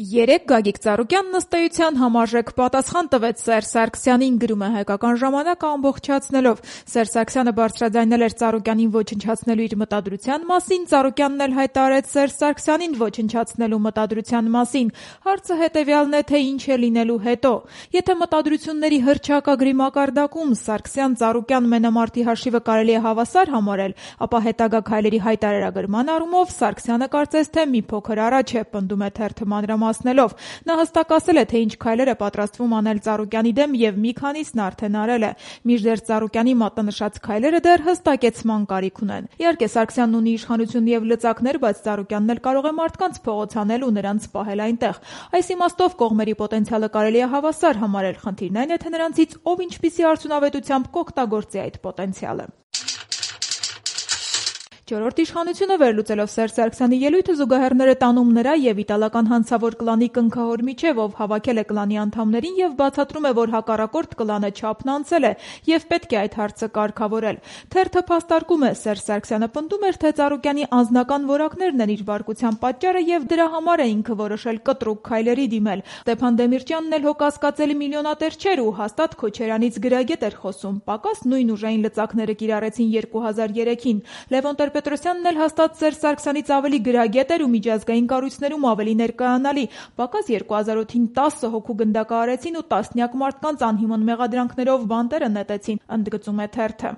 Երեկ Գագիկ Ծառուկյանն ըստ էության համարժեք պատասխան տվեց Սերժ Սարգսյանին, գրում է Հայկական ժամանակը ամբողջացնելով. Սերժ Սարգսյանը բարձրաձայնել էր Ծառուկյանին ոչնչացնելու իր մտադրության մասին, Ծառուկյանն էլ հայտարարեց Սերժ Սարգսյանին ոչնչացնելու մտադրության մասին։ Հարցը հետևյալն է, թե ինչ է լինելու հետո։ Եթե մտադրությունների հռչակագրի մակարդակում Սարգսյան-Ծառուկյան մենամարտի հաշիվը կարելի է հավասար համարել, ապա հետագա քայլերի հայտարարագրման առումով Սարգսյանը կարծես թե մի փոքր առաջ է, պնդում է թերթը մանրամասնելով։ Նա հստակ ասել է, թե ինչ քայլեր է պատրաստվում անել Ծառուկյանի դեմ եւ մի քանիսն արդեն արել է։ Մինչդեռ Ծառուկյանի մատնանշած քայլերը դեռ հստակեցման կարիք ունեն։ Իհարկե Սարգսյանն ունի իշխանություն եւ լծակներ, բայց Ծառուկյանն էլ կարող է մարդկանց փողոց անել ու նրանց պահել այնտեղ։ Այս իմաստով կողմերի պոտենցիալը կարելի է հավասար համարել, խնդիրն այն է, թե նրանցից ով ինչպիսի արդյունավետությամբ կօգտագործի այդ պոտենցիալը։ Չորրորդ իշխանությունը վերլուծելով Սերժ Սարգսյանի ելույթը զուգահեռները տանում նրա եւ իտալական հանցավոր կլանի կնքահոր միջև, ով հավաքել է կլանի անդամներին եւ բացատրում է, որ հակառակորդ կլանը չափն անցել է եւ պետք է այդ հարցը կարգավորել։ Թերթը փաստարկում է, Սերժ Սարգսյանը պնդում էր, թե Ծառուկյանի անձնական որակներն են իր բարկության պատճառը եւ դրա համար է ինքը որոշել կտրուկ քայլերի դիմել։ Ստեփան Դեմիրճյանն էլ հո կասկածելի միլիոնատեր չէր ու հաստատ Քոչարյանից գրագետ էր խոսում։ Պակաս նույն ուժային լծակները կիրառեցին 2003-ին։ Լևոն Տեր-Պետրոսյանն էլ հաստատ Սերժ Սարգսյանից ավելի գրագետ էր ու միջազգային կառույցներում ավելի ներկայանալի։ Պակաս 2008-ին 10 հոգու գնդակահարեցին ու տասնյակ մարդկանց անհիմն մեղադրանքներով բանտերը նետեցին, ընդգծում է թերթը։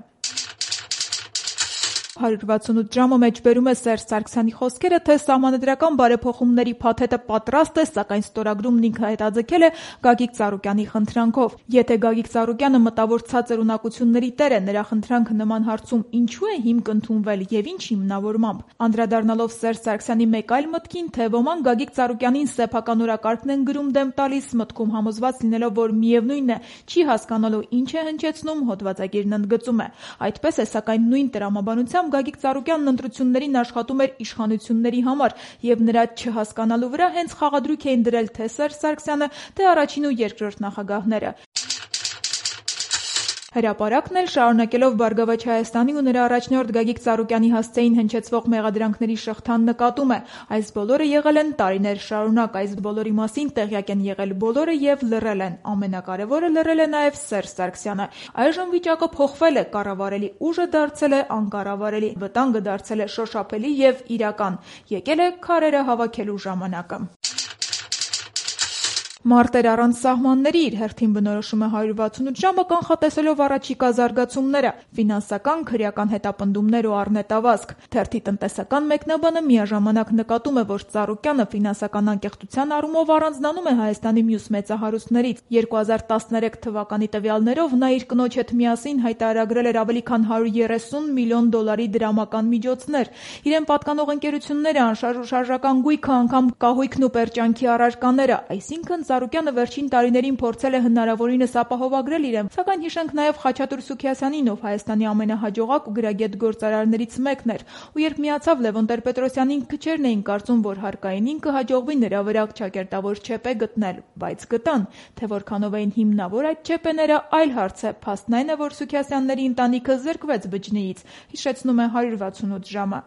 168 ժամը մեջբերում է Սերժ Սարգսյանի խոսքերը, թե սահմանադրական բարեփոխումների փաթեթը պատրաստ է, սակայն ստորագրումն ինքը հետաձգել է Գագիկ Ծառուկյանի խնդրանքով։ Եթե Գագիկ Ծառուկյանը մտավոր ցածր ունակությունների տեր է, նրա խնդրանքը նման հարցում ինչու է հիմք ընդունվել եւ ինչ հիմնավորմամբ։ Անդրադառնալով Սերժ Սարգսյանի մեկ այլ մտքին, թե ոմանք Գագիկ Ծառուկյանին սեփական օրակարգն են գրում դեմ տալիս, մտքում համոզված լինելով, որ միևնույնն է, չի հասկանալու ինչ է հնչեցնում, հոդվածագիրն ընդգծում է։ Այդպես է, սակայն նույն տրամաբանությամբ Գագիկ Ծառուկյանն ընտրություններին աշխատում էր իշխանությունների համար եւ նրա չհասկանալու վրա հենց խաղադրույք էին դրել թե Սերժ Սարգսյանը, թե առաջին ու երկրորդ նախագահները։ Հրապարակն էլ շարունակելով Բարգավաճ Հայաստանի ու նրա առաջնորդ Գագիկ Ծառուկյանի հասցեին հնչեցվող մեղադրանքների շղթան նկատում է։ Այս բոլորը եղել են տարիներ շարունակ, այս բոլորի մասին տեղյակ են եղել բոլորը եւ լռել են։ Ամենակարևորը լռել է նաեւ Սերժ Սարգսյանը։ Այժմ վիճակը փոխվել է, կառավարելի ուժը դարձել է անկառավարելի, վտանգը դարձել է շոշափելի եւ իրական։ Եկել է քարերը հավաքելու ժամանակը։ Մարտեր առանց սահմանների իր հերթին բնորոշում է 168 ժամը կանխատեսելով առաջիկա զարգացումները, ֆինանսական, քրեական հետապնդումներ ու առնետավազք։ Թերթի տնտեսական մեկնաբանը միաժամանակ նկատում է, որ Ծառուկյանը ֆինանսական անկեղծության առումով առանձնանում է Հայաստանի մյուս մեծահարուստներից։ 2013 թվականի տվյալներով նա իր կնոջ հետ միասին հայտարարագրել էր ավելի քան 130 միլիոն դոլարի դրամական միջոցներ։ Իրեն պատկանող ընկերությունները, անշարժ ու շարժական գույքը, անգամ կահույքն ու պերճանքի առարկաները, այսինքն Ծառուկյանը վերջին տարիներին փորձել է հնարավորինս ապահովագրել իրեն, սակայն հիշենք նաև Խաչատուր Սուքիասյանին, ով Հայաստանի ամենահաջողակ ու գրագետ գործարարներից մեկն էր, ու երբ միացավ Լևոն Տեր-Պետրոսյանին, քչերն էին կարծում, որ հարկայինին կհաջողվի նրա վրա ճակերտավոր չեպե գտնել, բայց գտան, թե որքանով էին հիմնավոր այդ չեպեները, այլ հարց է։ Փաստն այն է, որ Սուքիասյանների ընտանիքը զրկվեց բջջնիից, հիշեցնում է 168 ժամը։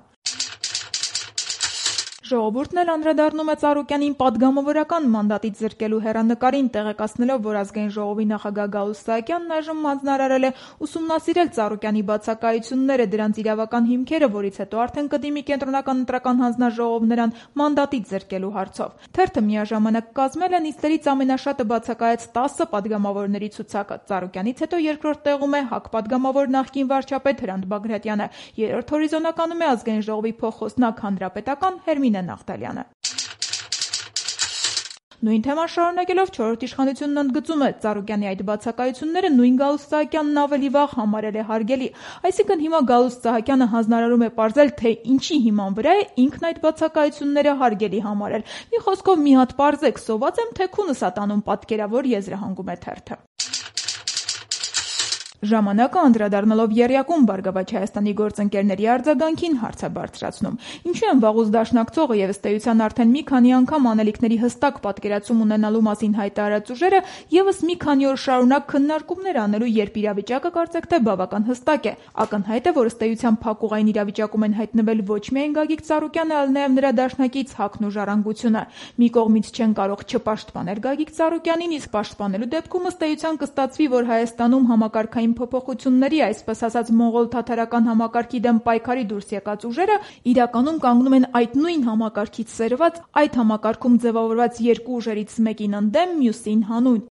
Ժողովուրդն էլ անդրադառնում է Ծառուկյանին պատգամավորական մանդատից զրկելու հեռանկարին, տեղեկացնելով, որ Ազգային ժողովի նախագահ Գալուստ Սահակյանն այժմ հանձնարարել է ուսումնասիրել Ծառուկյանի բացակայությունները, դրանց իրավական հիմքերը, որից հետո արդեն կդիմի Կենտրոնական ընտրական հանձնաժողով նրան մանդատից զրկելու հարցով։ Թերթը միաժամանակ կազմել է նիստերից ամենաշատը բացակայեց 10 պատգամավորների ցուցակը։ Ծառուկյանից հետո երկրորդ տեղում է ՀԱԿ պատգամավոր նախկին վարչապետ Հրանտ Բագրատյանը, երրորդ հորիզոնականում է Ազգային ժողովի փոխխոսնակ հանրապետական Հերմինե Նաղդալյանը։ Նույն թեման շարունակելով չորրորդ իշխանությունն ընդգծում է Ծառուկյանի այդ բացակայությունները նույն Գալուստ Սահակյանն ավելի վաղ համարել է հարգելի։ Այսինքն հիմա Գալուստ Սահակյանը հանձնարարում է պարզել, թե ինչի հիման վրա է ինքն այդ բացակայությունները հարգելի համարել։ Մի խոսքով մի հատ պարզեք, սոված եմ, թե քունս ատանում պատկերավոր եզրահանգում է թերթը։ Ժամանակը անդրադառնալով եռյակում «Բարգավաճ Հայաստանի» գործընկերների արձագանքին հարց է բարձրացնում. ինչու են վաղուց դաշնակցողը եւ ըստ էության արդեն մի քանի անգամ անելիքների հստակ պատկերացում ունենալու մասին հայտարարած ուժերը եւս մի քանի օր շարունակ քննարկումներ անելու, երբ իրավիճակը կարծեք թե բավական հստակ է։ Ակնհայտ է, որ ըստ էության փակուղային իրավիճակում են հայտնվել ոչ միայն Գագիկ Ծառուկյանը, այլ նաեւ նրա դաշնակից ՀԱԿ-ն ու Ժառանգությունը։ Մի կողմից չեն կարող չպաշտպանել Գագիկ Ծառուկյանին, իսկ պաշտպանելու դեպքում ըստ էության կստացվի, որ Հայաստանում համակարգային փոփոխությունների, այսպես ասած մոնղոլ-թաթարական համակարգի դեմ պայքարի դուրս եկած ուժերը իրականում կանգնում են այդ նույն համակարգից սերված, այդ համակարգում ձևավորված երկու ուժերից մեկին ընդդեմ, մյուսին հանուն։